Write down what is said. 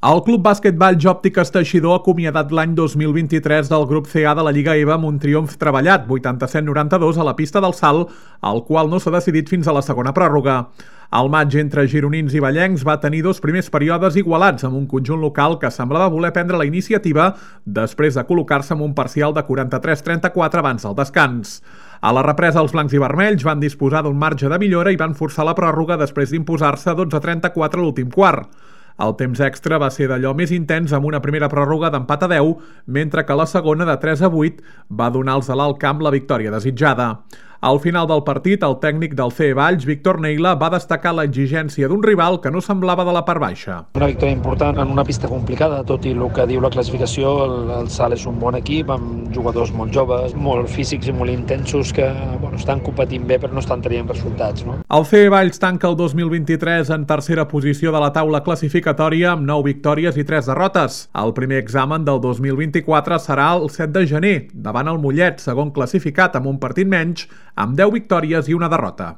El Club Bàsquet Valls Òptiques Teixidor ha acomiadat l'any 2023 del grup CA de la Lliga EVA amb un triomf treballat, 87-92 a la pista del Salt, el qual no s'ha decidit fins a la segona pròrroga. El maig entre gironins i vallencs va tenir dos primers períodes igualats amb un conjunt local que semblava voler prendre la iniciativa després de col·locar-se amb un parcial de 43-34 abans del descans. A la represa, els blancs i vermells van disposar d'un marge de millora i van forçar la pròrroga després d'imposar-se 12-34 a l'últim quart. El temps extra va ser d'allò més intens amb una primera pròrroga d'empat a 10, mentre que la segona de 3-8 va donar als de l'Alt Camp la victòria desitjada. Al final del partit, el tècnic del CE Valls, Víctor Neila, va destacar l'exigència d'un rival que no semblava de la part baixa. Una victòria important en una pista complicada, tot i el que diu la classificació, el Salt és un bon equip, amb jugadors molt joves, molt físics i molt intensos que estan competint bé però no estan tenint resultats. No? El CE Valls tanca el 2023 en tercera posició de la taula classificatòria amb 9 victòries i 3 derrotes. El primer examen del 2024 serà el 7 de gener, davant el Mollet, segon classificat amb un partit menys, amb 10 victòries i una derrota.